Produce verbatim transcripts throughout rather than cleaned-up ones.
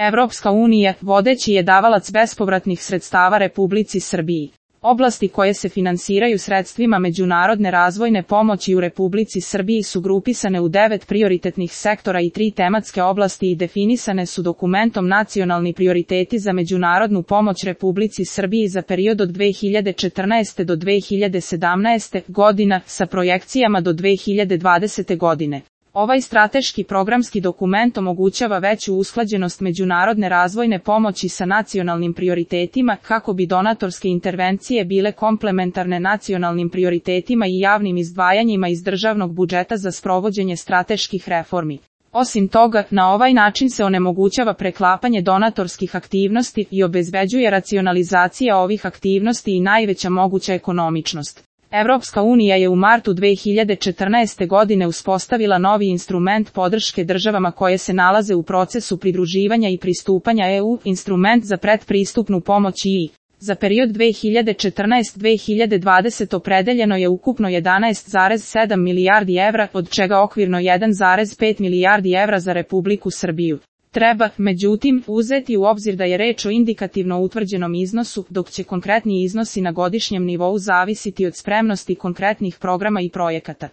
Evropska unija, vodeći je davalac bespovratnih sredstava Republici Srbiji. Oblasti koje se finansiraju sredstvima međunarodne razvojne pomoći u Republici Srbiji su grupisane u devet prioritetnih sektora i tri tematske oblasti i definisane su dokumentom Nacionalni prioriteti za međunarodnu pomoć Republici Srbiji za period od dve hiljade četrnaeste do dve hiljade sedamnaeste. godina sa projekcijama do dve hiljade dvadesete. godine. Ovaj strateški programski dokument omogućava veću usklađenost međunarodne razvojne pomoći sa nacionalnim prioritetima kako bi donatorske intervencije bile komplementarne nacionalnim prioritetima i javnim izdvajanjima iz državnog budžeta za sprovođenje strateških reformi. Osim toga, na ovaj način se onemogućava preklapanje donatorskih aktivnosti i obezbeđuje racionalizacija ovih aktivnosti i najveća moguća ekonomičnost. Evropska unija je u martu dve hiljade četrnaeste. godine uspostavila novi instrument podrške državama koje se nalaze u procesu pridruživanja i pristupanja E U, instrument za pretpristupnu pomoć I. Za period dve hiljade četrnaeste do dve hiljade dvadesete. opredeljeno je ukupno jedanaest zarez sedam milijardi evra, od čega okvirno jedan zarez pet milijardi evra za Republiku Srbiju. Treba, međutim, uzeti u obzir da je reč o indikativno utvrđenom iznosu, dok će konkretni iznosi na godišnjem nivou zavisiti od spremnosti konkretnih programa i projekata.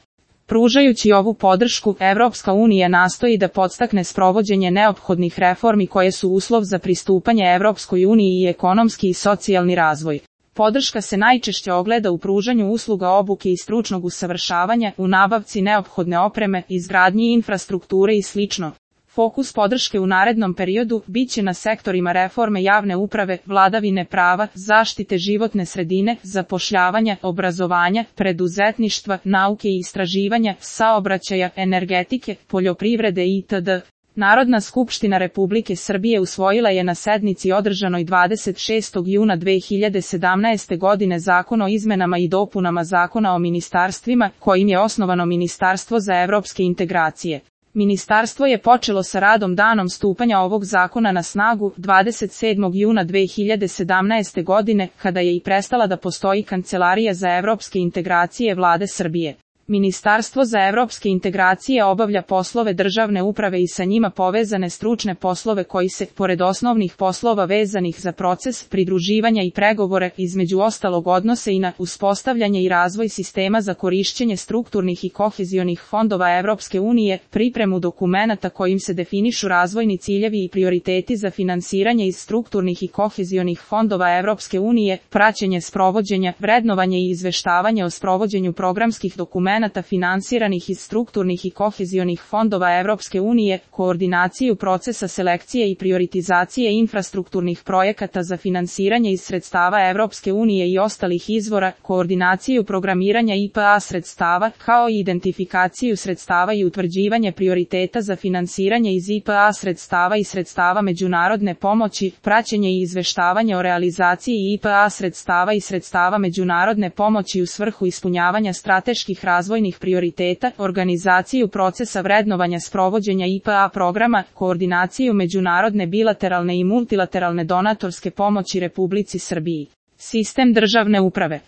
Pružajući ovu podršku, Evropska unija nastoji da podstakne sprovođenje neophodnih reformi koje su uslov za pristupanje Evropskoj uniji i ekonomski i socijalni razvoj. Podrška se najčešće ogleda u pružanju usluga obuke i stručnog usavršavanja, u nabavci neophodne opreme, izgradnji infrastrukture i slično. Fokus podrške u narednom periodu biće na sektorima reforme javne uprave, vladavine prava, zaštite životne sredine, zapošljavanja, obrazovanja, preduzetništva, nauke i istraživanja, saobraćaja, energetike, poljoprivrede itd. Narodna skupština Republike Srbije usvojila je na sednici održanoj dvadeset šestog juna dve hiljade sedamnaeste. godine Zakon o izmenama i dopunama Zakona o ministarstvima, kojim je osnovano Ministarstvo za evropske integracije. Ministarstvo je počelo sa radom danom stupanja ovog zakona na snagu dvadeset sedmog juna dve hiljade sedamnaeste. godine, kada je i prestala da postoji Kancelarija za evropske integracije Vlade Srbije. Ministarstvo za evropske integracije obavlja poslove državne uprave i sa njima povezane stručne poslove koji se, pored osnovnih poslova vezanih za proces pridruživanja i pregovore, između ostalog odnose i na uspostavljanje i razvoj sistema za korišćenje strukturnih i kohezionih fondova Evropske unije, pripremu dokumenata kojim se definišu razvojni ciljevi i prioriteti za finansiranje iz strukturnih i kohezionih fondova Evropske unije, praćenje sprovođenja, vrednovanje i izveštavanje o sprovođenju programskih dokumenata finansiranih iz strukturnih i kohezionih fondova Evropske unije, koordinaciju procesa selekcije i prioritizacije infrastrukturnih projekata za finansiranje iz sredstava Evropske unije i ostalih izvora, koordinaciju programiranja I P A sredstava, kao i identifikaciju sredstava i utvrđivanje prioriteta za finansiranje iz I P A sredstava i sredstava međunarodne pomoći, praćenje i izveštavanje o realizaciji I P A sredstava i sredstava međunarodne pomoći u svrhu ispunjavanja strateških razvojnih prioriteta, organizaciju procesa vrednovanja sprovođenja I P A programa, koordinaciju međunarodne bilateralne i multilateralne donatorske pomoći Republici Srbiji. Sistem državne uprave.